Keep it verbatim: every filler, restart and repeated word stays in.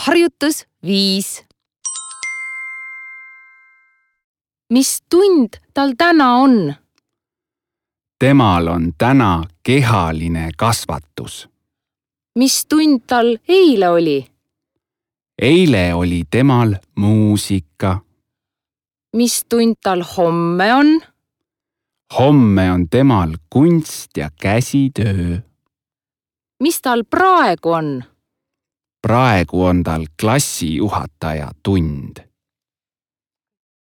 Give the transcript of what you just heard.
Harjutus viis. Mis tund tal täna on? Temal on täna kehaline kasvatus. Mis tund tal eile oli? Eile oli temal muusika. Mis tund tal homme on? Homme on temal kunst ja käsitöö. Mis tal praegu on? Praegu on tal klassijuhataja tund.